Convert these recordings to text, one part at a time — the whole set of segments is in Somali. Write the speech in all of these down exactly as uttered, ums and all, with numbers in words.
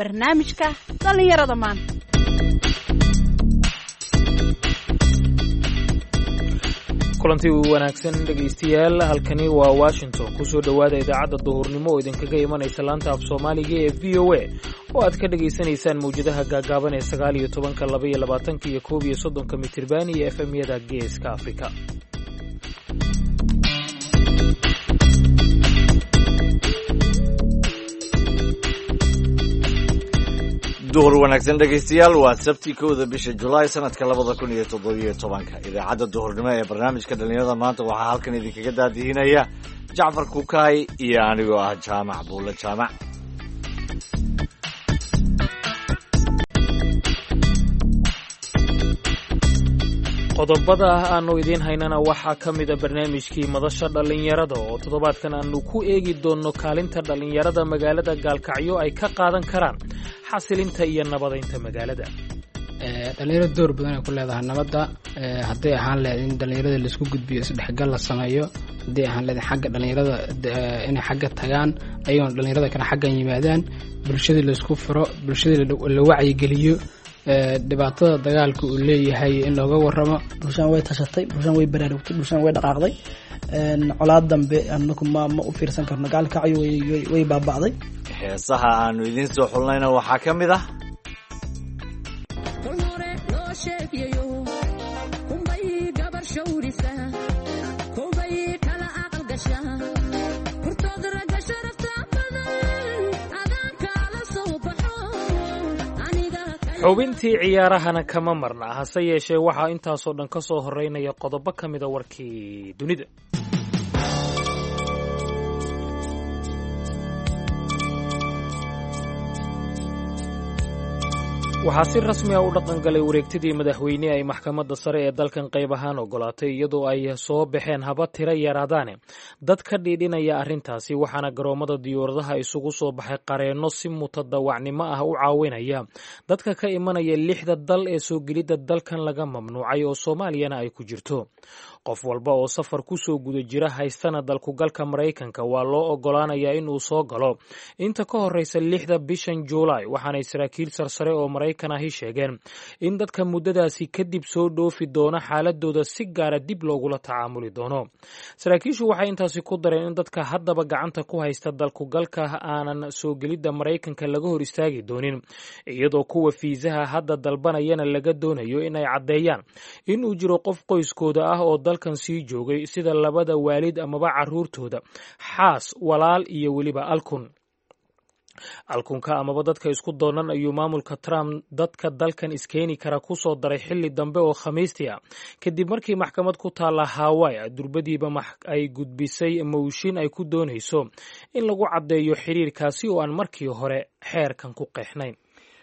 Barnaamijka dhallinyarada maanta. Kulanti wanaagsan dhegaystayaal, halkani waa Washington. Kusoo dhowaada idaacadda duhurnimo oo idinkaga imanaysa laanta af Soomaaliga ee V O A, oo aad ka dhegaysanaysaan mawjadaha gaagaaban ee sagaal iyo tobanka, laba iyo labaatanka iyo koob iyo soddonka mitirban iyo F M-yada Geeska Afrika. Duhur wanaagsan dhegaystayaal, waa Sabti, kowda bisha Julaay, sanadka labada kun iyo toddobiyo tobanka. Idaacadda duhurnimo ee barnaamijka dhallinyarada maanta waxaa halkan idinkaga daadihinaya Jacfar Kukaay iyo anigoo ah Jaamac Buulle Jaamac. Qodobada aanu idiin haynana waxaa ka mida barnaamijkii madasha dhallinyarada, oo toddobaadkan aanu ku eegi doonno kaalinta dhallinyarada magaalada Gaalkacyo ay ka qaadan karaan xasilinta iyo nabadaynta magaalada. Dhalinyarada door badan ay ku leedahay nabadda. Hadday ahaan lahayd in dhalinyarada laisku gudbiyo, isdhexgal la sameeyo, hadday ahaan lahayd xagga dhalinyarada inay xagga tagaan, ayagoona dhalinyarada kale xaggan yimaadaan, bulshadii laisku furo, bulshadii la wacyigeliyo dhibaatada dagaalka uu leeyahay in looga waramo. Bulshaan way tashatay, bulshaan way baraarugtay, bulshaan way dhaqaaqday. Colaad dambe anaku ma ma u fiirsan karno. Gaalkacyo way baaba'day. Heesaha aanu idiin soo xulnayna waxaa ka mid ah: Xubintii ciyaarahana kama marna, hase yeeshee waxaa intaasoo dhan ka soo horeynaya qodobo ka mida warkii dunida. Waxaa si rasmi ah u dhaqangalay wareegtidii madaxweyne ay maxkamadda sare ee dalkan qayb ahaan ogolaatay, iyadoo ay soo baxeen haba tiro yaraadaane dad ka dhiidhinaya arrintaasi. Waxaana garoomada diyuuradaha isugu soo baxay qareenno si mutadawacnimo ah u caawinaya dadka ka imanaya lixda dal ee soo gelidda dalkan laga mamnuucay, oo Soomaaliyana ay ku jirto. Qof walba oo safar ku soo guda jira, haystana dalkugalka Maraykanka, waa loo ogolaanayaa inuu soo galo inta ka horeysa lixda bishan Juulaay. Waxaanay saraakiil sarsare oo Maraykan ahi sheegeen in dadka muddadaasi kadib soo dhoofi doona xaaladooda si gaara dib loogula tacaamuli doono. Saraakiishu waxay intaasi ku dareen in dadka haddaba gacanta ku haysta dalkugalka aanan soo gelidda Maraykanka laga hor istaagi doonin, iyadoo kuwa fiisaha hadda dalbanayana laga doonayo in ay caddeeyaan inuu jiro qof qoyskooda ah oo dalkan sii joogay, sida labada waalid amaba caruurtooda, xaas, walaal iyo weliba alkun alkunka amaba dadka isku doonan. Ayuu maamulka Trump dadka dalkan iskeeni kara ku soo daray xilli dambe oo Khamiistii ah, kadib markii maxkamad ku taalla Hawaii durbadiiba ay gudbisay mowshin ay ku doonayso in lagu caddeeyo xiriirkaasi oo aan markii hore xeerkan ku qeexnayn.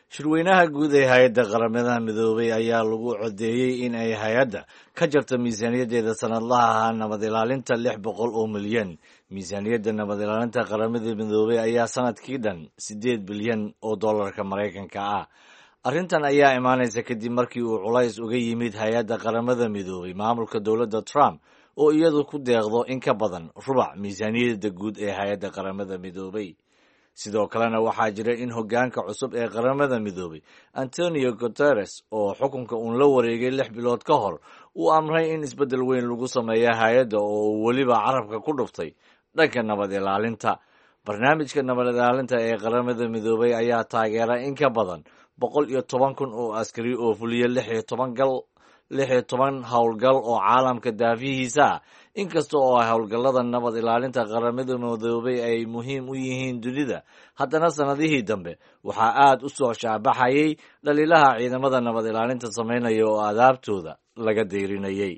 Shirweynaha guud ee hay-adda Qaramada Midoobay ayaa lagu codeeyey in ay hay-adda ka jarto miisaaniyaddeeda sanadlaha ahaa nabad ilaalinta lix boqol oo milyan. Miisaaniyadda nabad ilaalinta Qaramada Midoobay ayaa sanadkii dhan siddeed bilyan oo dollarka Maraykanka ah. Arrintan ayaa imaanaysa kadib markii uu culays uga yimid hay-adda Qaramada Midoobay maamulka dowladda Trump, oo iyadu ku deeqdo in ka badan rubac miisaaniyadda guud ee hay-adda Qaramada Midoobay. Sidoo kalena waxaa jira in hoggaanka cusub ee Qaramada Midoobay, Antonio Guteres, oo xukunka uun la wareegay lix bilood ka hor, uu amray in isbeddel weyn lagu sameeya hay-adda, oo uu weliba carabka ku dhuftay dhanka nabad ilaalinta. Barnaamijka nabad ilaalinta ee Qaramada Midoobay ayaa taageera in ka badan boqol iyo toban kun oo askari oo fuliya lix iyo toban gal lix iyo toban howlgal oo caalamka daafihiisa ah. Inkasta oo ay howlgallada nabad ilaalinta Qaramada Midoobay ay muhiim u yihiin dunida, haddana sannadihii dambe waxaa aad u soo shaabaxayay dhaliilaha ciidamada nabad ilaalinta sameynaya oo adaabtooda laga deyrinayay.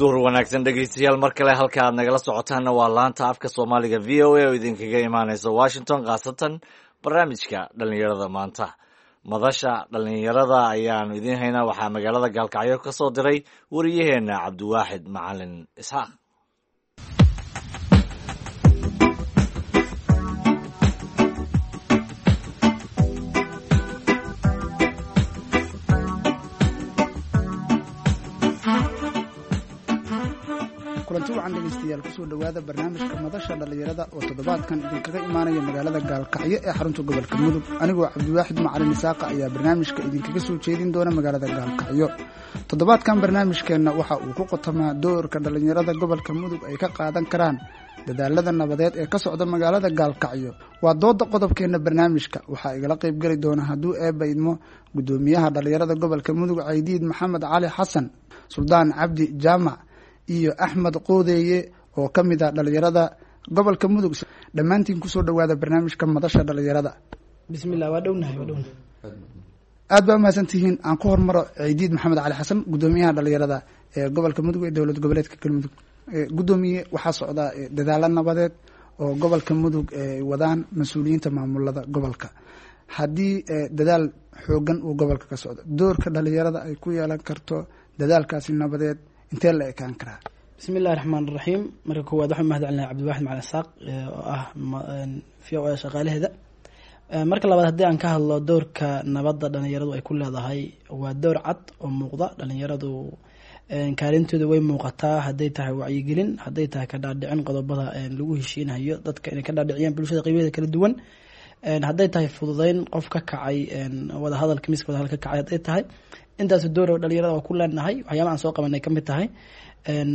Duhur wanaagsan dhegaystayaal mar kale. Halka aad nagala socotaanna waa laanta afka Soomaaliga V O A oo idinkaga imaanaysa Washington, khaasatan barnaamijka dhallinyarada maanta. Madasha dhallinyarada ayaanu idiin haynaa. Waxaa magaalada Gaalkacyo ka soo diray wariyaheenna Cabdiwaaxid Macalin Isxaaq. Kulanti wacan dhegeystayaal, kusoo dhowaada barnaamijka Madasha Dhallinyarada oo toddobaadkan idinkaga imaanaya magaalada Gaalkacyo ee xarunta gobolka Mudug. Anigoo Cabdiwaaxid Macalin Isaaqa ayaa barnaamijka idinkaga soo jeedin doona magaalada Gaalkacyo. Toddobaadkan barnaamijkeenna waxa uu ku qotamaa doorka dhallinyarada gobolka Mudug ay ka qaadan karaan dadaalada nabadeed ee ka socda magaalada Gaalkacyo. Waa dooda qodobkeenna barnaamijka. Waxaa igala qaybgeli doona, hadduu Eebba idmo, guddoomiyaha dhallinyarada gobolka Mudug Caydiid Maxamed Cali Xasan, Suldaan Cabdi Jaamac iyo Axmed Qoodeeye oo ka mid ah dhalinyarada gobolka Mudug. Dhammaantiin kusoo dhowaada barnaamijka Madasha Dhalinyarada. Bismillah, waa dhownahay, waa dhownahay. Aad baa umahadsantihiin. Aan ku hormaro Ciidiid Maxamed Cali Xasan, guddoomiyaha dhalinyarada ee gobolka Mudug ee dowlad goboleedka Galmudug. Guddoomiye, waxaa socda dadaalo nabadeed oo gobolka Mudug ay wadaan mas-uuliyiinta maamulada gobolka. Haddii dadaal xoogan uu gobolka ka socdo, doorka dhalinyarada ay ku yeelan karto dadaalkaasi nabadeed intee la ekaan karaa? Bismi illahi raxmaan raxiim. Marka koowaad waxaan mahad celinaya Cabdiwaxid Macalin Isaaq oo ah V O A shaqaalaheeda. Marka labaad, haddii aan ka hadlo doorka nabadda dhalinyaradu ay ku leedahay, waa door cad oo muuqda. Dhalinyaradu kaalintooda way muuqataa, hadday tahay wacyigelin, hadday tahay ka dhaadhicin qodobada lagu heshiinayo dadka inay ka dhaadhiciyaan bulshada qeybaheeda kala duwan, hadday tahay fududeyn qof ka kacay wadahadalka, miiska wadahadal ka kacay hadday tahay. Intaas door dhalinyarada waa ku leenahay. Waxyaabaha aan soo qabanay kamid tahay.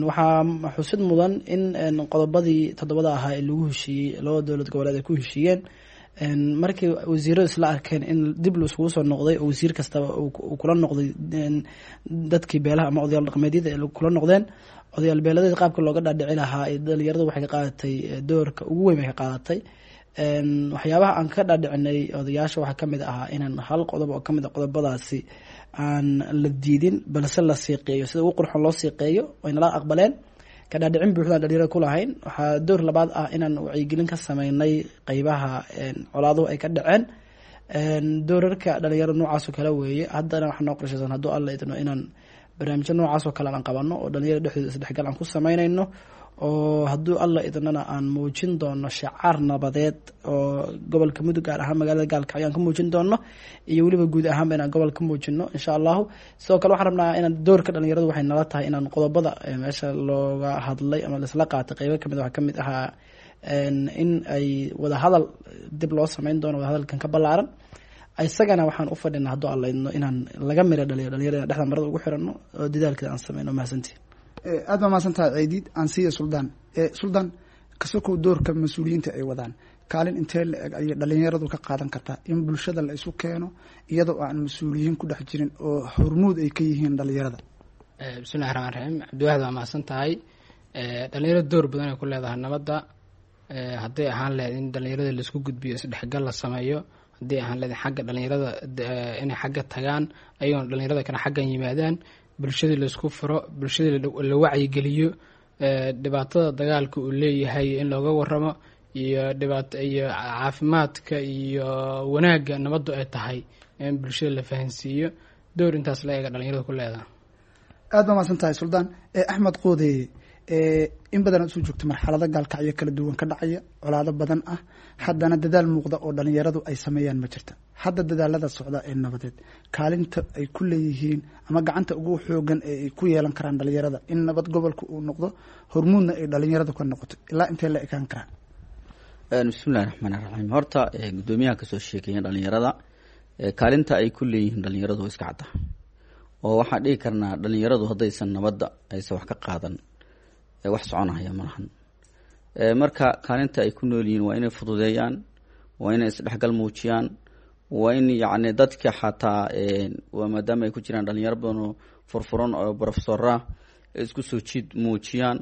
Waxaa xusid mudan in qodobadii toddobada ahaa ee lagu heshiiyey, labada dowlad goboleed ay ku heshiiyeen, markii wasiiradu isla arkeen in dib laiskugu soo noqday oo wasiir kastaba uu kula noqday dadkii beelaha ama odayaal dhaqameedyada ay kula noqdeen odayaal beeladeed qaabka looga dhaadhici lahaa, dhalinyaradu waxay ka qaadatay doorka ugu weyn bay ka qaadatay. Waxyaabaha aan ka dhaadhicinay odayaasha waxaa kamid ahaa inaan hal qodob oo kamid a qodobadaasi aan la diidin, balse la siiqeeyo sida ugu qurxoon loo siiqeeyo. Waynala aqbaleen. Ka dhaadhicin buuxdaan dhalinyarada ku lahayn. Waxaa door labaad ah inaan wacyigelin ka sameynay qeybaha colaaduhu ay ka dhaceen. Doorarka dhalinyarada noocaas oo kale weeye. Haddana waxaa noo qorshaysan, hadduu Alla idno, inaan barnaamijyo noocaas oo kale aan qabano oo dhalinyarada dhexdooda isdhexgal aan ku sameynayno, oo hadduu Alla idnana aan muujin doono shacaar nabadeed oo gobolka Mudug, gaar ahaan magaalada Gaalkacyo, aan ka muujin doono, iyo weliba guud ahaanba inaan gobol ka muujino, insha Allahu. Sidoo kale waxaan rabnaa inaan doorka dhalinyaradu waxay nala tahay inaan qodobada meesha looga hadlay ama laisla qaatay qeybo kamid waxaa kamid ahaa in ay wadahadal dib loo sameyn doono, wadahadalkan ka ballaaran. Isagana waxaan u fadhinaa, hadduu Alla idno, inaan laga mira dhaliyo dhalinyarada, inaan dhexda marada ugu xirano oo dadaalkeeda aan sameyno. Mahadsantihin. Aad baa mahadsan tahay Ciidiid. Aan siiya Suldaan. Suldaan, kasokow doorka mas-uuliyiinta ay wadaan, kaalin intee la eg ayay dhalinyaradu ka qaadan kartaa in bulshada la isu keeno iyadoo aan mas-uuliyiin ku dhex jirin oo hormuud ay ka yihiin dhalinyarada? Bismillahi raxmaan raxiim. Cabdiwaxid, waa mahadsan tahay. Dhalinyarada door badan ay ku leedahay nabadda, hadday ahaan lahayd in dhalinyarada laisku gudbiyo, isdhexgal la sameeyo, hadday ahaan lahayd xagga dhalinyarada inay xagga tagaan ayagoona dhalinyarada kale xaggan yimaadaan, bulshadii laisku furo, bulshadii la wacyigeliyo, dhibaatada dagaalka uu leeyahay in looga waramo, iyo dhibaato iyo caafimaadka iyo wanaagga nabaddu ay tahay in bulshada la fahansiiyo. Door intaas la eega dhalinyarada ku leedahay. Aad baa mahadsan tahay, Suldaan. Axmed Qoodeeye, in badan aad soo joogto marxalado Gaalkacyo kala duwan ka dhacaya, colaado badan ah, haddana dadaal muuqda oo dhalinyaradu ay sameeyaan ma jirta. Hadda dadaalada socda ee nabadeed, kaalinta ay ku leeyihiin ama gacanta ugu xoogan ee ay ku yeelan karaan dhalinyarada in nabad gobolka uu noqdo, hormuudna ay dhalinyaradu ka noqoto, ilaa intee la ekaan karaan? Bismillahi raxmaani raxiim. Horta guddoomiyaha kasoo sheekeeya dhalinyarada kaalinta ay ku leeyihiin dhalinyaradu waa iska cadda, oo waxaan dhihi karnaa dhalinyaradu haddaysan nabadda aysan wax ka qaadan, wax soconahaya malahan. Marka kaalinta ay ku nool yihiin waa inay fududeeyaan, waa inay isdhexgal muujiyaan, waa in yacni dadka xataa waa maadaama ay ku jiraan dhalinyaro badan oo furfuran oo profesora isku soo jiid muujiyaan,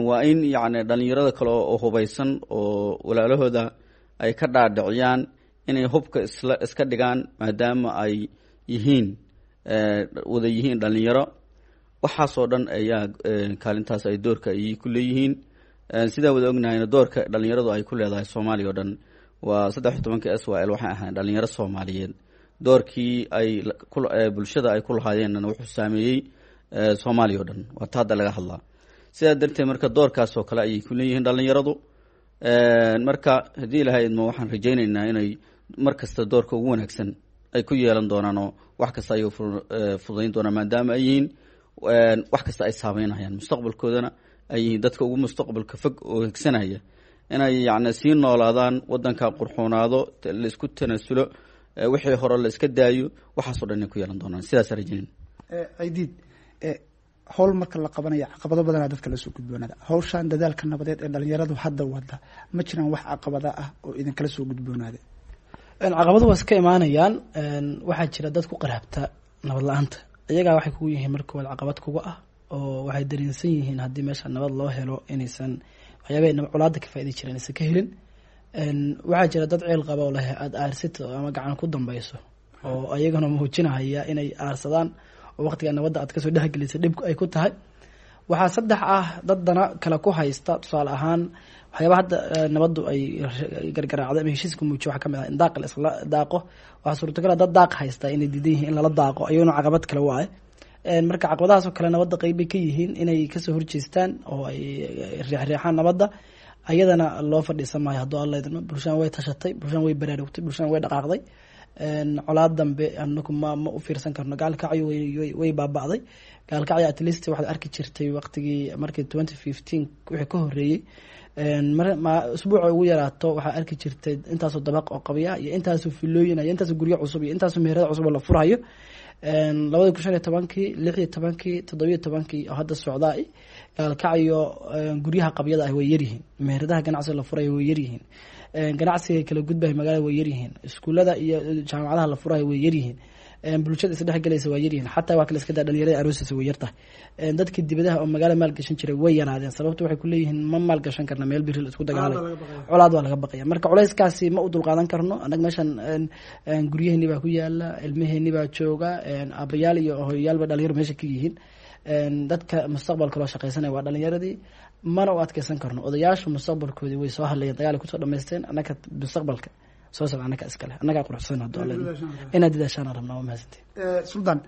waa in yacni dhalinyarada kale oo hubaysan oo walaalahooda ay ka dhaadhiciyaan inay hubka isla iska dhigaan, maadaama ay yihiin wada yihiin dhalinyaro. Waxaasoo dhan ayaa kaalintaas ay doorka ay ku leeyihiin. Sidaan wada ognahayna, doorka dhalinyaradu ay ku leedahay Soomaaliya o dhan waa saddex iyo tobanka S Y L. Waxay ahayn dhalinyaro Soomaaliyeed. Doorkii ay bulshada ay ku lahaayeenna wuxuu saameeyey Soomaaliya o dhan, waa ta hadda laga hadlaa. Sidaa darteed marka doorkaas oo kale ayay ku leeyihiin dhalinyaradu. Marka haddii Ilahay idmo, waxaan rajaynaynaa inay mar kasta doorka ugu wanaagsan ay ku yeelan doonaan oo wax kasta ayay fududayn doonaan, maadaama ay yihiin Wax kasta ay saameynayaan mustaqbalkoodana, ay yihiin dadka ugu mustaqbalka fog oo higsanaya inay yacni sii noolaadaan, wadanka qurxoonaado, la isku tanaasulo, wixii hore la iska daayo, waxaasoo dhan inay ku yeelan doonaan. Sidaas rajaynin. Ciidiid, howl marka la qabanaya caqabado badanaa dadka lasoo gudboonaada. Hawshan dadaalka nabadeed ee dhalinyaradu hadda wada, ma jiraan wax caqabada ah oo idinkala soo gudboonaada? Caqabadu waa iska imaanayaan. Waxaa jira dad ku qaraabta nabad la-aanta. Iyagaa waxay kugu yihiin marka koowaad caqabad kuga ah, oo waxay dareensan yihiin haddii meesha nabad loo helo inaysan waxyaabah colaada ka faaidi jireen aysan ka helin. Waxaa jira dad ceel qaba oo leh aada aarsito ama gacan ku dambayso, oo ayagana muujinahaya inay aarsadaan oo waqtiga nabadda aad kasoo dhexgelisa dhib ay ku tahay. Waxaa saddex ah dad dana kale ku haysta. Tusaale ahaan, waxyaaba hadda nabaddu ay gargaraacday ama heshiiska muujiyo waxaa kamid ah in daaqa la isla daaqo. Waxaa suurtagal ah dad daaq haysta inay diidan yihiin in lala daaqo, ayaguna caqabad kale waaye. Marka caqabadahaas oo kale nabadda qeyb bay ka yihiin inay kasoo horjeestaan oo ay reexreexaan nabadda. Ayadana loo fadhiisan maayo hadduu Alla idmo. Bulshaan way tashatay, bulshaan way baraarugtay, bulshaan way dhaqaaqday. Colaad dambe anaku ma ma u fiirsan karno. Gaalkacyo way way baaba'day. Gaalkacyo at least waxaad arki jirtay waqtigii markii twenty fifteen wixii ka horreeyey, ma usbuuca ugu yaraato waxaa arki jirtay intaasoo dabaq oo qabya iyo intaasoo filooyin iyo intaasoo guryo cusub iyo intaasoo meherada cusub oo la furayo. Labada kun shan iyo tobankii, lix iyo tobankii, toddobiyo tobankii oo hadda socdaa, Gaalkacyo guryaha qabyada ah way yaryihiin, meheradaha ganacsiga la furayo way yaryihiin, ganacsiga kala gudbaya magaalada way yaryihiin, iskuullada iyo jaamacadaha la furayo way yaryihiin, bulshada isdhexgelaysa waa yaryihiin, xataa waa kala iska daa dhalinyarada aroosiisa way yartahay. Dadkii dibadaha oo magaala maalgashan jiray way yaraadeen. Sababta waxay kuleeyihiin ma maalgashan karna meel biri la isku dagaalay, colaad waa laga baqaya. Marka culayskaasi ma u dulqaadan karno annaga. Meeshan guryaheeni baa ku yaala, ilmaheeni baa jooga, aabayaal iyo hooyayaalba dhalinyaro meesha ka yihiin. Dadka mustaqbalka loo shaqaysanaya waa dhalinyaradii, mana u adkeysan karno. Odayaashu mustaqbalkoodii way soo hadlayeen, dagaal ay kusoo dhamaysteen. Annaga mustaqbalka soo socda annaga iskale, annagaa quruxsan hadduu Alla inaad dadaashaan rabnaa. Waa mahadsantiin. Suldaan,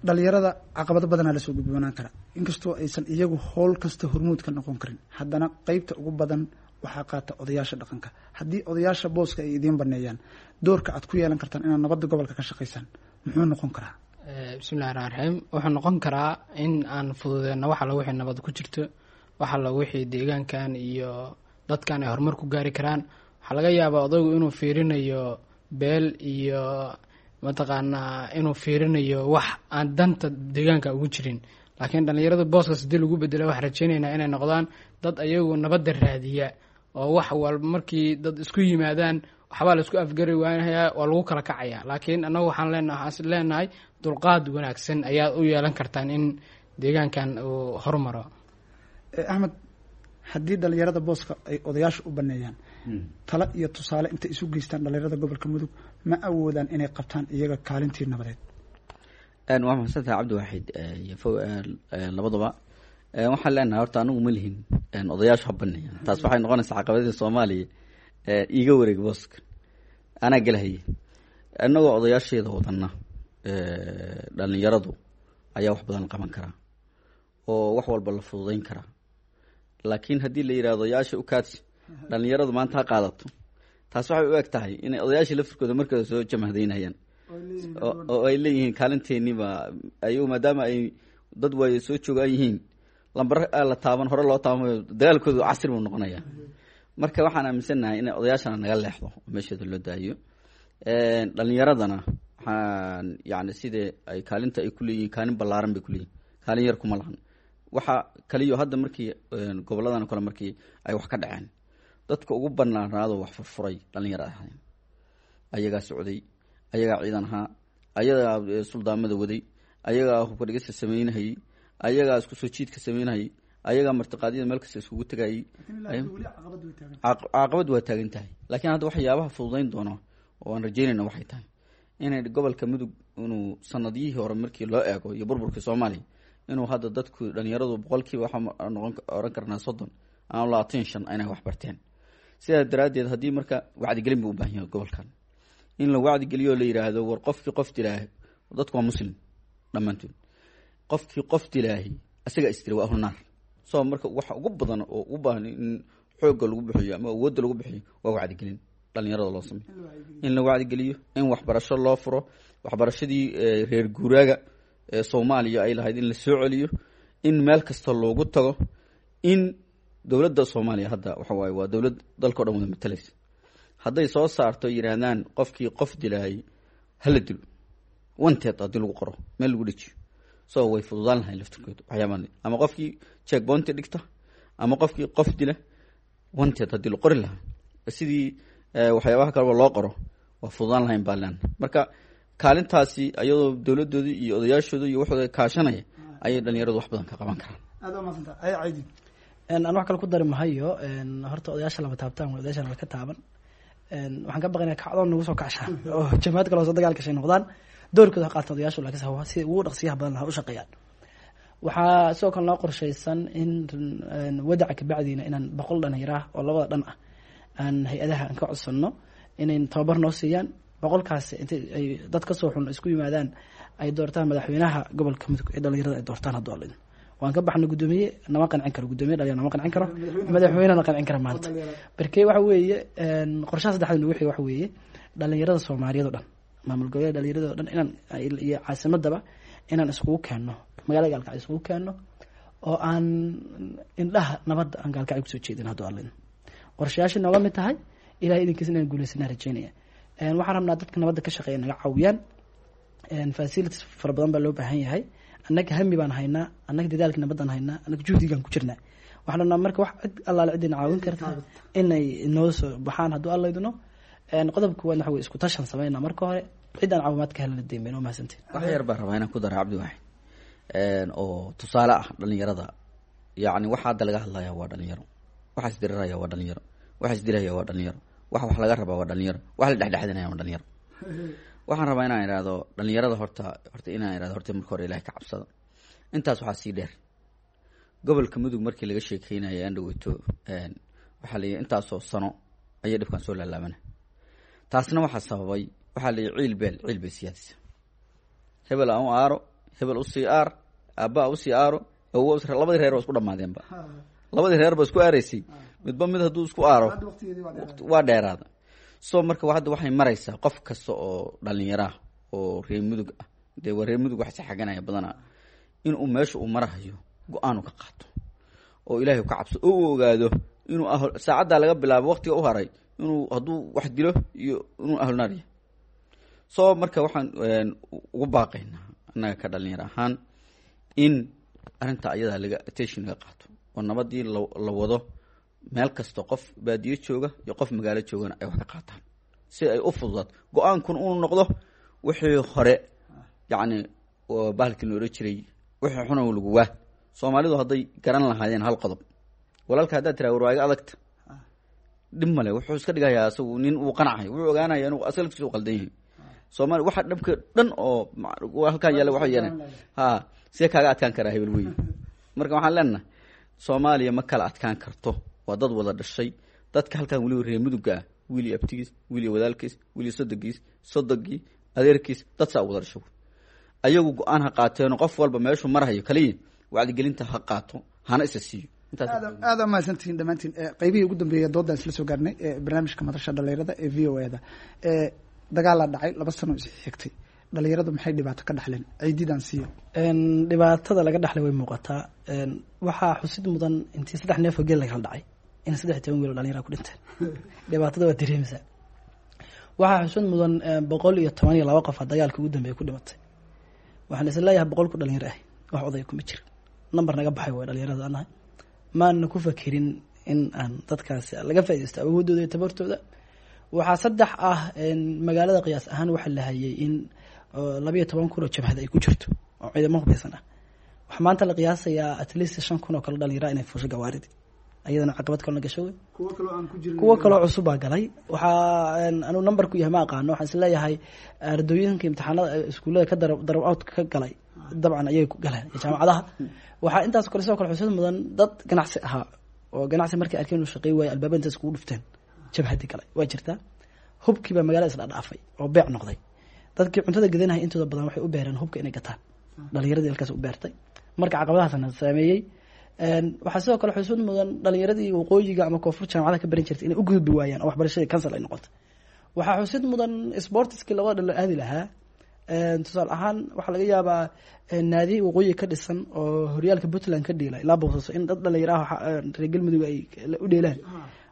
dhalinyarada caqabado badanaa lasoo gudboonaan kara. Inkastoo aysan iyagu howl kasta hormuud ka noqon karin, haddana qeybta ugu badan waxaa qaata odayaasha dhaqanka. Haddii odayaasha booska ay idiin baneeyaan, doorka aad ku yeelan kartaan inaad nabadda gobolka ka shaqaysaan muxuu noqon karaa? Bismillahi raxmaan raxiim. Wuxuu noqon karaa in aan fududeyno wax alla wixii nabad ku jirto, wax alla wixii deegaankan iyo dadkan ay horumar ku gaari karaan. Waxaa laga yaabaa odaygu inuu fiirinayo beel iyo mataqaanaa inuu fiirinayo wax aan danta deegaanka ugu jirin, laakiin dhalinyarada booskaas hadii lagu bedelo, waxaan rajeyneynaa inay noqdaan dad ayagu nabadda raadiya, oo wax walba markii dad isku yimaadaan waxbaa la isku afgari waanayaa, waa lagu kala kacaya. Laakiin annagu waxaan leenahay waxaan leenahay dulqaad wanaagsan ayaad u yeelan kartaan in deegaankan uu horumaro. Axmed, haddii dhalinyarada booska ay odayaasha u baneeyaan, talo iyo tusaale intay isu geystaan, dhalinyarada gobolka Mudug ma awoodaan inay qabtaan iyaga kaalintii nabadeed? Waa mahadsantahay Cabdiwaaxid iyo fo labadaba. Waxaan leenahay horta anigu ma lihin odayaashu ha baneeyaan. Taas waxay noqonaysaa caqabadii Soomaaliya, iiga wareeg booska anaa gelahaye. Innagoo odayaasheeda wadana, dhalinyaradu ayaa wax badan qaban karaa oo wax walba la fududeyn karaa. Laakiin haddii la yidhahdo odayaasha u kaadsi, dhalinyaradu maanta ha qaadato, taas waxay u eg tahay inay odayaashii laftirkooda markooda soo jamahdaynayaan oo ay leeyihiin kaalinteeniba ayagu, maadaama ay dad waayo soo joogaan yihiin, lambar la taaban hore loo taabamayo, dagaalkoodu casri buu noqonayaa. Marka waxaan aaminsannahay inay odayaashana naga leexdo oo meesheeda loo daayo. Dhalinyaradana waxaan yani sidee ay kaalinta ay kuleeyihiin, kaalin ballaaran bay kuleeyihin, kaalin yar kuma lahan. Waxa kaliyo hadda markii goboladan kale markii ay wax ka dhaceen, dadka ugu banaanaado wax furfuray dhalinyaro ahayn. Ayagaa socday, ayagaa ciidan ahaa, ayagaa suldaamada waday, ayagaa hubka dhigista sameynahayey, ayagaa isku soo jiidka sameynahayey, ayagaa martiqaadyada meel kasta iskugu tegayey. Caqabad waa taagan tahay, laakiin hadda waxyaabaha fududeyn doono oo aan rajeynayna waxay tahay inay gobolka Mudug inuu sanadiyihii hore markii loo eego iyo burburkii Soomaaliya inuu hadda dadku dhalinyaradu boqolkiiba waxaa noqon oran karnaa soddon ama labaatan shan inay wax barteen. Sidaa daraaddeed haddii marka wacdigelin buu u baahan yahay gobolkan, in la wacdigeliyo la yidhaahdo war qofkii qof dilaahi, dadku waa muslim dhammaantood, qofkii qof dilaahi isaga istiri waa ahlu naar. So marka waxa ugu badan oo u baahan in xoogga lagu bixiyo ama awoodda lagu bixiyo waa wacdigelin dhalinyarada loo sameyo, in la wacdigeliyo, in waxbarasho loo furo, waxbarashadii reer guuraaga Soomaaliya ay lahayd in la soo celiyo, in meel kasta loogu tago, in dowladda Soomaaliya hadda waxa waaye waa dowlad dalka o dhan wada matalaysa, hadday soo saarto yidhaahdaan qofkii qof dilaayay hala dilo, wanted haddii lagu qoro meel lagu dhejiyo, so way fududaan lahayn laftirkooda waxyaabaan, ama qofkii checkpoint dhigta ama qofkii qof dila wanted haddii la qori lahaa sidii waxyaabaha kaleba loo qoro, waa fududaan lahayn baa leena. Marka kaalintaasi ayadoo dowladoodii iyo odayaashooda iyo waxooda kaashanaya ayay dhalinyaradu wax badan ka qaban karaan. Aad waa mahadsanta ay Caydi. Aan wax kale ku dari mahayo. Horta odayaasha lama taabtaan, odayaasha laka taaban. Waxaan ka baqaynaa kacdoon nagu soo kacshaan oo jamaad kale oo soo dagaal gashay noqdaan. Doorkooda ha qaataan odayaashu, laakiin si ugu dhaqsiyaha badan ha u shaqeeyaan. Waxaa sidoo kale noo qorshaysan in wadaca kabacdiina inaan boqol dhalinyaro ah oo labada dhan ah aan hay-adaha aan ka codsano inay tababar noo siiyaan. Boqolkaasi intay ay dad kasoo xun isku yimaadaan ay doortaan madaxweynaha gobolka Mudug ee dhalinyarada ay doortaan. Hadduu Alla idmo waan ka baxnay. Guddoomiye nama qancin karo, guddoomiye dhalinyaro nama qancin karo, madaxweynena qancin kara maanta. Barkey waxa weeye qorshaha saddexaad nagu xiga waxa weeye dhalinyarada Soomaaliyeed oo dhan, maamul goboleed dhalinyarada oo dhan inaan iyo caasimadaba inaan iskugu keenno, magaalada Gaalkacyo iskugu keenno oo aan indhaha nabadda aan Gaalkacyo kusoo jeedin. Hadduu Alla idmo qorshayaashii nooga mid tahay, Ilahay idinkiisa inaan guuleysanaa rajeynaya. Waxaan rabnaa dadka nabadda ka shaqeeya naga caawiyaan. Facilities fara badan baa loo baahan yahay. Annaga hami baan haynaa, annaga dadaalka nabadaan haynaa, annaga juhdigaan ku jirnaa. Waxaan rabnaa marka wax cid allaale ciddina caawin karta inay noo soo baxaan hadduu Alla idno. Qodobka kuwaad waxa wey isku tashan sameynaa marka hore, cid aan caawimaad ka helana deymeyn. Waa mahadsantiin. Wax yar baan rabaa inaan ku dara, Cabdi Waaxid, oo tusaale ah dhalinyarada. Yacni waxa hadda laga hadlaya waa dhalinyaro, waxa isdiriraya waa dhalinyaro, waxa isdilaya waa dhalinyaro, waxa wax laga rabaa waa dhalinyaro, waxa la dhexdhexadinaya waa dhalinyaro. Waxaan rabaa inaan idhaahdo dhalinyarada horta horta inaan idhahdo horta marka hore Ilahay ka cabsada. Intaas waxaa sii dheer, gobolka Mudug markii laga sheekeynaya aan dhaweyto waxaa la yidhi intaasoo sano ayay dhibkan soo laalaabana. Taasna waxaa sababay waxaa la yidhi ciil beel ciil bay siyaadisa, hebel aan u aaro, hebel usii aar, aabaa usii aaro, awow, labadii reer waa isku dhamaadeenba, labadii reer ba isku aaraysay, midba mid hadduu isku aaro waa dheeraada. So marka hadda waxay maraysaa qof kasta oo dhalinyaraah oo reer Mudug ah, dee waa reer Mudug wax saxaganaya badanaa, inuu meesha uu marahayo go-aan u ka qaato oo Ilaahay ka cabso oo uu ogaado inuu ah saacaddaa laga bilaabo waqtiga u haray inuu hadduu wax dilo iyo inuu ahlunaar yahay. So marka waxaan ugu baaqaynaa annaga ka dhalinyaro ahaan in arrinta ayadaa laga attention laga qaato oo nabadii la la wado, meel kasta qof baadiyo jooga iyo qof magaalo joogana ay wax ka qaataan si ay u fududaato go-aankun uu noqdo wixii hore, yacni bahalkii la odhan jiray wixii xuna lagu waa. Soomaalidu hadday garan lahaayeen hal qodob, walaalka haddaad tiraa war waa iga adagta, dhib male, wuxuu iska dhigayaa asagu nin uu qancayo, wuxuu ogaanaya inuu asaga laftiisa u qaldan yahay. Soomaali waxa dhabka dhan oo halkaan yaalla waxay yeeleen ha see kaaga adkaan karaa hebel wey. Marka waxaan leenahay Soomaaliya ma kala adkaan karto, waa dad wada dhashay. Dadka halkaan weliba reer Mudugga ah, wiil iyo abtigiis, wiil iyo wadaalkiis, wiil iyo sodogiis, sodogii adeerkiis, dad saa wada dhashay. Ayagu go-aan ha qaateeno, qof walba meeshuu marhayo kaliya wacdigelinta ha qaato hana isa siiyo. Aada mahadsantihiin dhammaantiin. Qeybihii ugu dambeeya doodaan isla soo gaarnay barnaamijka madasha dhalinyarada ee V O A da. Dagaalaa dhacay laba sano is xigtay, dhalinyaradu maxay dhibaato ka dhaxleen? Ciididaan siiyo. Dhibaatada laga dhaxlay way muuqataa. Waxaa xusid mudan intii saddex neef oo geel lagala dhacay in saddex iyo toban wiil oo dhalinyara ku dhinteen. Dhibaatada waa dareemaysaa. Waxaa xusid mudan boqol iyo toban iyo laba qof a dagaalka ugu dambeeya ku dhimatay. Waxaan is leeyahay boqol ku dhalinyaro ah, wax odaya kuma jira. Number naga baxay way dhalinyarada anahay, maana ku fakerin in aan dadkaasi laga faaidaysto awoodooda iyo tabartooda. Waxaa saddex ah, magaalada qiyaas ahaan waxaa la hayay in labayo toban kun oo jabhad ay ku jirto oo ciidamo hubeysan ah. Waxaa maanta la qiyaasayaa at least shan kun oo kale dhalinyara inay fuusho gawaaridi, ayadana caqabad kalena gasho wey. Kuwo kaloo cusub baa galay. Waxaa anuu numberku yahay ma aqaano. Waxaan is leeyahay ardooyinka imtixaanada iskuullada ka dara darab out ka galay dabcan ayay ku galeen jaamacadaha. Waxaa intaas kale sidoo kale xusid mudan dad ganacsi ahaa oo ganacsi markay arkeen inuu shaqey waayo albaabada intaas kugu dhufteen jabhadii galay waa jirtaa. Hubkii baa magaalada isdhaadhaafay oo beec noqday. Dadkii cuntada gadanaya intooda badan waxay u beereen hubka inay gataan, dhalinyaradii halkaas u beertay. Marka caqabadahaasna saameeyey. Waxaa sidoo kale xusuud mudan dhalinyaradii waqooyiga ama koonfur jaamacadaha ka baran jirtay inay u gudbi waayaan oo waxbarashadii cancel ay noqotay. Waxaa xusid mudan sportiskii labada dhalo aadi lahaa Tusaale ahaan, waxaa laga yaabaa naadi waqooyi ka dhisan oo horyaalka Puntland ka dheela ilaa Boosaaso in dad dhalinyaro ah reer Galmudug ay u dheelaan,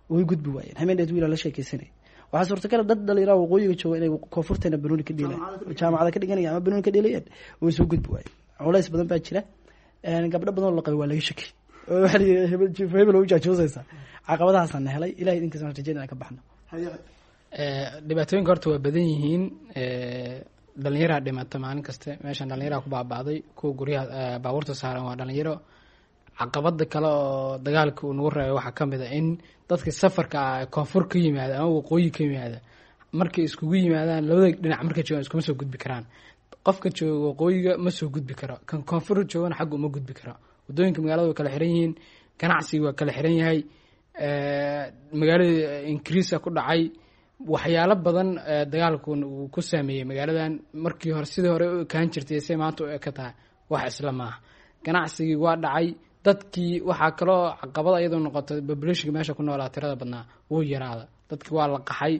way gudbi waayeen. Hameen dheed wiilaa la sheekeysanay, waxaa suurtagal dad dhalinyaro waqooyiga jooga inay koonfurteena banooni ka dheelaan, jaamacada ka dhiganaya ama banooni ka dheelayaan, way soo gudbi waayeen. Culays badan baa jira. Gabdho badan oo la qabay waa laga shakay, hebel hebel u jaajoosaysaa. Caqabadahaasaan na helay, Ilahay idinkaas waan rajeynaya inaan ka baxno. Dhibaatooyinka horta waa badan yihiin. Dhalinyaraa dhimata maalin kasta meeshan, dhalinyaraa ku baaba'day, kuwa guryaha baabuurta saaran waa dhalinyaro. Caqabada kale oo dagaalka uu nagu reebay waxaa kamid a in dadka safarka ah koonfur ka yimaada ama waqooyi ka yimaada markay iskugu yimaadaan labada dhinac, markay joogaan iskuma soo gudbi karaan. Qofka jooga waqooyiga ma soo gudbi karo, kan koonfur joogana xagga uma gudbi karo. Waddooyinka magaalada way kala xiran yihiin, ganacsiga waa kala xiran yahay, magaalada increase ku dhacay. Waxyaalo badan dagaalkun uu ku saameeyey magaaladan. Markii hore sidii hore u ekaan jirtay se maanta u eka tahay wax isla maaha. Ganacsigii waa dhacay, dadkii waxaa kaloo caqabada iyadoo noqotay populationka meesha ku noolaa tirada badnaa wuu yaraada. Dadkii waa la qaxay,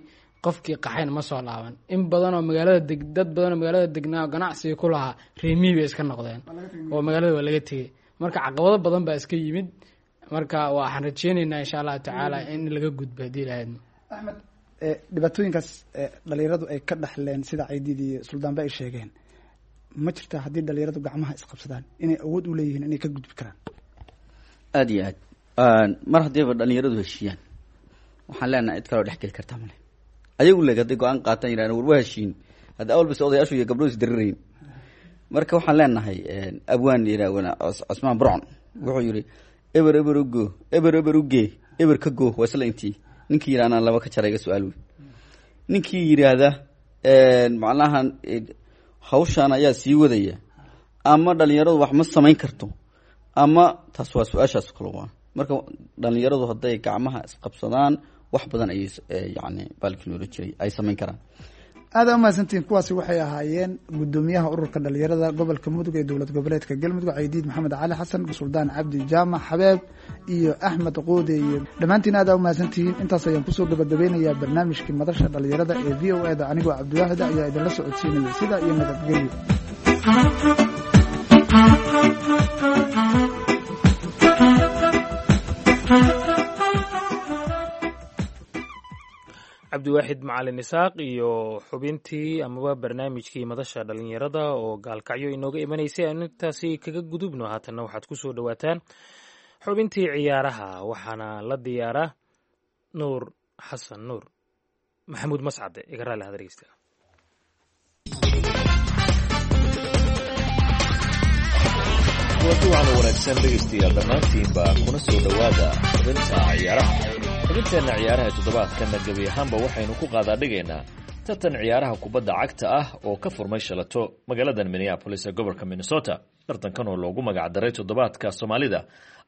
qofkii qaxayna ma soo laaban. In badan oo magaalada deg, dad badan oo magaalada degnaa oo ganacsiga ku lahaa reemiyi bay iska noqdeen oo magaalada waa laga tegey. Marka caqabado badan baa iska yimid. Marka waxaan rajeyneynaa insha Allahu tacaala in laga gudbo haddii Ilahaydna. Axmed, dhibaatooyinkaas dhalinyaradu ay ka dhaxleen sida Caydiid iyo Suldaanba ay sheegeen, ma jirtaa haddii dhalinyaradu gacmaha isqabsadaan inay awood u leeyihiin inay ka gudbi karaan? Aada iyo aad. Mar haddiiba dhalinyaradu heshiiyaan, waxaan leenahay cid kaloo dhex geli kartaa male. Ayagu leg hadday go-aan qaataan, yirahdaan war waa heshiin, hadda awal bas odayaashu iyo gabdhuhu is darirayn. Marka waxaan leenahay, abwaan yiraahwana Cosmaan Burcon wuxuu yidhi: "Eber eber ugo, eber eber ugee, eber ka go, waa isla intii." Ninkii yidhahna laba ka jara iga su-aal wey. Ninkii yidhaahda macnaha hawshaan ayaa sii wadaya ama dhalinyaradu wax ma samayn karto, ama taas waa su-aashaas kale waa. Marka dhalinyaradu hadday gacmaha isqabsadaan, wax badan ayay yani baalkii loola jiray ay samayn karaan. Aada umahadsantihiin. Kuwaasi waxay ahaayeen guddoomiyaha ururka dhalinyarada gobolka Mudug ee dowlad goboleedka Galmudug, Caydiid Maxamed Cali Xasan, Suldaan Cabdi Jaamac Xabeeb iyo Axmed Quude. Iyo dhammaantiin aada umahadsantihiin. Intaas ayaan kusoo gabagabeynayaa barnaamijkii madasha dhalinyarada ee V O A da. Anigoo Cabdiwaahid ayaa idinla socodsiinaya. Sidaa iyo nabadgelyo. Cabdiwaaxid Macalin Isaaq iyo xubintii amaba barnaamijkii madasha dhalinyarada oo Gaalkacyo inooga imanaysay aanu intaasi kaga gudubno. Haatanna waxaad ku soo dhowaataan xubintii ciyaaraha, waxaana la diyaaraa Nuur Xasan Nuur. Maxamuud Mascade iga raali hada dhegeysta. Kulanti waxaana wanaagsan dhegaystayaal dhammaantiinba, kuna soo dhowaada xubinta ciyaaraha. Xubinteenna ciyaaraha toddobaadkanna gebi ahaanba waxaynu ku qaadaadhigaynaa tartan ciyaaraha kubadda cagta ah oo ka furmay shalato magaaladan Minneapolis ee gobolka Minnesota. Tartankan oo loogu magacdaray toddobaadka Soomaalida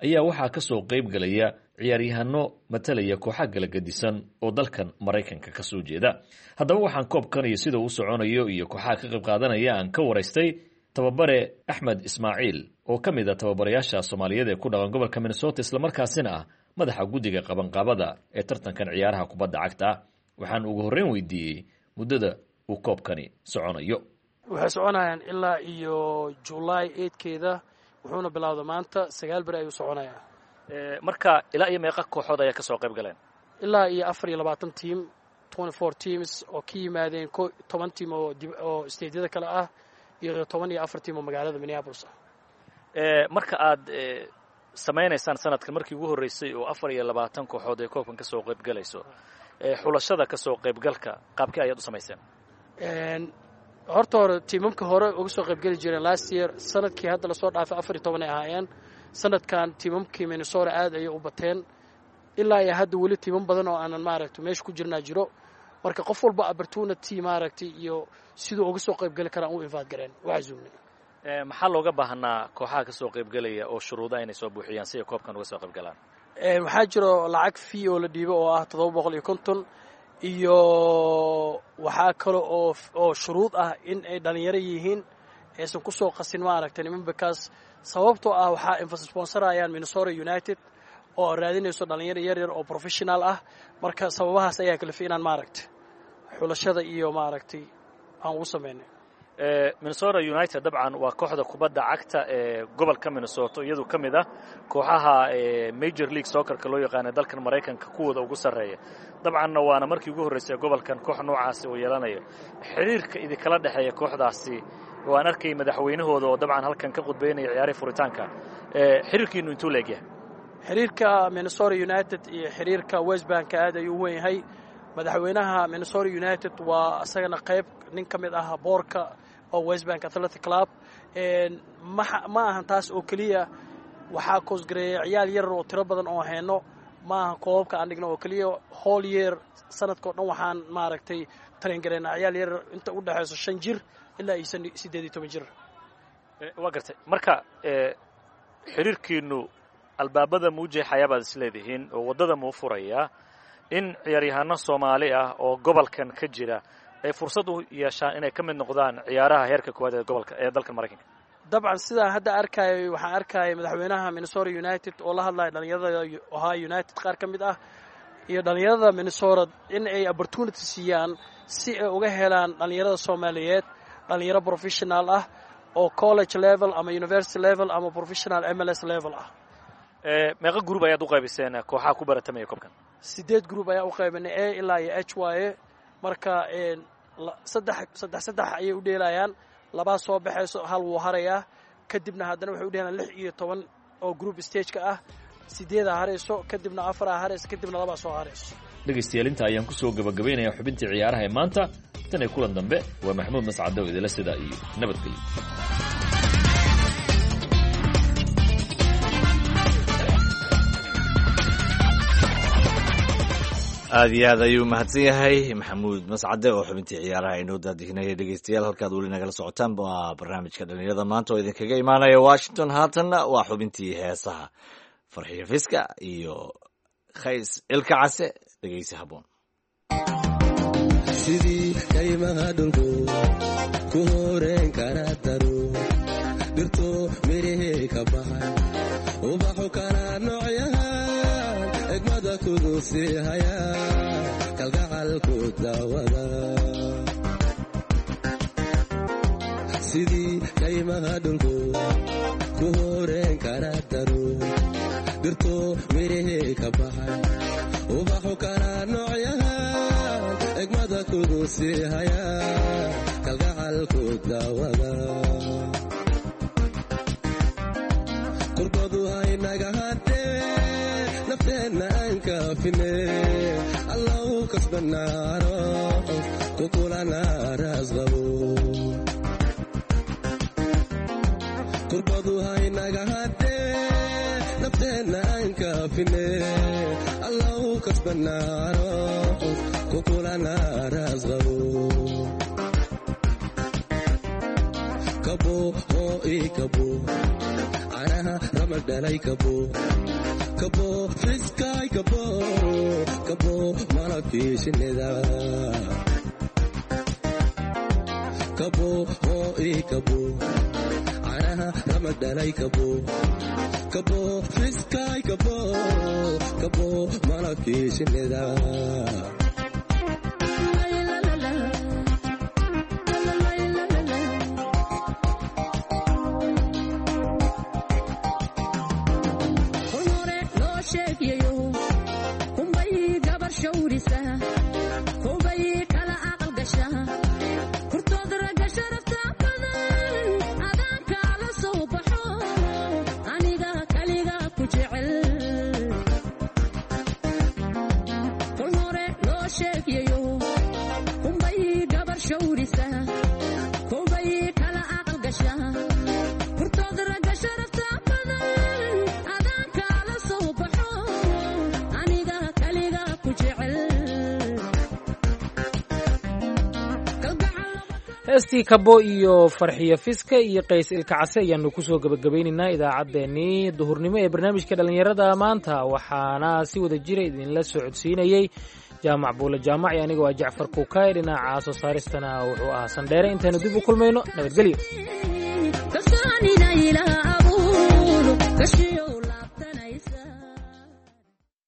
ayaa waxaa ka soo qayb galaya ciyaaryahano matalaya kooxa kala gedisan oo dalkan Maraykanka ka soo jeeda. Haddaba waxaan koobkan iyo sida uu soconayo iyo kooxaha ka qayb qaadanaya aan ka waraystay tababare Axmed Ismaaciil oo ka mid a tababarayaasha Soomaaliyeed ee ku dhaqan gobolka Minnesota, islamarkaasina ah madaxa guddiga qabanqaabada ee tartankan ciyaaraha kubadda cagta ah. Waxaan ugu horreyn weydiiyey muddada uu koobkani soconayo. Waxay soconayaan ilaa iyo July eightkeeda, wuxuuna bilowda maanta, sagaal beri ayuu soconayaa. Marka ilaa iyo meeqa kooxood ayaa kasoo qayb galeen? Ilaa iyo afar iyo labaatan team, twenty four teams oo ka yimaadeen ko toban team oo oo stateyada kale ah iyo toban iyo afar team oo magaalada Minneapolis ah. Marka aad samaynaysaan sanadkan markii ugu horreysay oo afar iyo labaatan kooxood ay koobkan kasoo qayb galayso, xulashada kasoo qaybgalka qaabkii ayaad u samayseen? Horta hore tiimamka hore uga soo qaybgeli jireen last year, sanadkii hadda lasoo dhaafay, afar iyo toban ay ahaayeen. Sanadkan tiimamkii Minnesota aad ayay u bateen. Ilaa iyo hadda weli tiimam badan oo aanan maaragtay meesha ku jirnaa jiro. Marka qof walba opportunity maaragtay iyo siduu uga soo qaybgeli karaan u invite gareen, u casuumnay. Maxaa looga baahnaa kooxaha kasoo qaybgelaya oo shuruuda inay soo buuxiyaan si ay koobkan uga soo qaybgalaan? Waxaa jiro lacag fee oo la dhiibo oo ah toddoba boqol iyo konton iyo waxaa kale oo oo shuruud ah in ay dhalinyaro yihiin, aysan kusoo qasin maaragtay niman, because sababtoo ah waxaa sponsorayaan Minnesota United oo raadinayso dhalinyaro yar yar oo professional ah. Marka sababahaas ayaa kalifay inaan maaragtay xulashada iyo maaragtay aan ugu sameynay. Minnesota United dabcan waa kooxda kubadda cagta ee gobolka Minnesota, iyadu ka mid ah kooxaha Major League Soccerka loo yaqaana dalkan Maraykanka kuwooda ugu sarreeya. Dabcanna waana markii ugu horreysay gobolkan koox noocaasi uu yeelanayo. Xiriirka idinkala dhexeeya kooxdaasi, waan arkay madaxweynahooda oo dabcan halkan ka khudbaynaya ciyaarihii furitaanka, xiriirkiinu intuu leegyahay? Xiriirka Minnesota United iyo xiriirka Westbank aad ayuu u weyn yahay. Madaxweynaha Minnesota United waa isagana qayb nin ka mid ah boorka oo Westbank Athletic Club. Ma ahan taas oo keliya, waxaa koosgareeya ciyaal yar oo tiro badan oo hayno. Ma ahan koobabka aan dhigno oo keliya, whole year, sanadkao dhan waxaan maaragtay train gareynaa ciyaal yar inta u dhexayso shan jir ilaa iyo siddeed iyo toban jir. Waa gartay. Marka xiriirkiinu albaabada muu jeexayaa baad isleedihiin oo waddada muu furayaa in ciyaaryahaano Soomaali ah oo gobolkan ka jira ay fursad u yeeshaan inay ka mid noqdaan ciyaaraha heerka koowaad ee gobolka ee dalkan Maraykanka? Dabcan, sidaan hadda arkaayo, waxaan arkaya madaxweynaha Minnesota United oo la hadlaya dhalinyarada Ohio United qaar ka mid ah iyo dhalinyarada Minnesota in ay opportunity siiyaan si ay uga helaan dhalinyarada Soomaaliyeed dhalinyaro professional ah oo college level ama university level ama professional M L S level ah. Meeqa group ayaad u qaybiseen kooxaha ku baratamaya koobkan? Sideed group ayaa u qaybanay, A ilaa iyo H waaye. Marka saddex saddex saddex ayay u dheelayaan, labaa soo baxayso, hal wuu harayaa. Kadibna haddana waxay u dheelayaan lix iyo toban oo group stageka ah, sideedaa harayso, kadibna afaraa harayso, kadibna labaa soo harayso. Dhegaystayaal, inta ayaan kusoo gabagabaynayaa xubintii ciyaaraha ee maanta. Tan iyo kulan dambe, waa Maxamuud Mascadow idila sidaa iyo nabadgelyo. Aad iyo aad ayuu mahadsan yahay Maxamuud Mascade oo xubintii ciyaaraha inoo daadihinaya. Dhegeystayaal, halkaad weli nagala socotaan waa barnaamijka dhalinyarada maanta oo idinkaga imaanaya Washington. Haatanna waa xubintii heesaha, Farxiyo Fiska iyo Khays Ilka Case. Dhegeysi haboon. Sidii kaymaha dhulku ku horeen kara daro, dhirto mirihii ka baxay, ubaxu kala noocyahan, egmada kudu sii haya, kalgacalku daawada. Sidii kaymaha dhulku ku horeen kara daro, dhirto mirihii ka baxay, ubaxu kala noocyahan, egmada kudu sii haya, kalgacalku daawada. Kurbadu haynaga hadhee, nafteenna aan kaafine, Allow kasbanaaro ku kulana raasqabo. Kurbadu haynaga hadhee, nafteenna aan kaafine, Allow kasbanaaro ku kulana raasqabo. Kabo oo ii kabo, canaha ramadhalay, kabo kabo fiskaay, kabo kabo malabkii shinnida, kabo oo ii kabo, canaha ramadhalay, kabo kabo fiskaay, kabo kabo malabkii shinnida. Heestii Kabo iyo Farxiyo Fiska iyo Qays Ilkacase ayaanu kusoo gebagabaynaynaa idaacaddeenii duhurnimo ee barnaamijka dhallinyarada maanta. Waxaana si wada jira idinla socodsiinayey Jaamac Buule Jaamac iyo anigoo ah Jacfar Kuukaay. Dhinaca soo saaristana wuxuu ahaa Sandheere. Intaanu dib u kulmayno, nabadgelyo.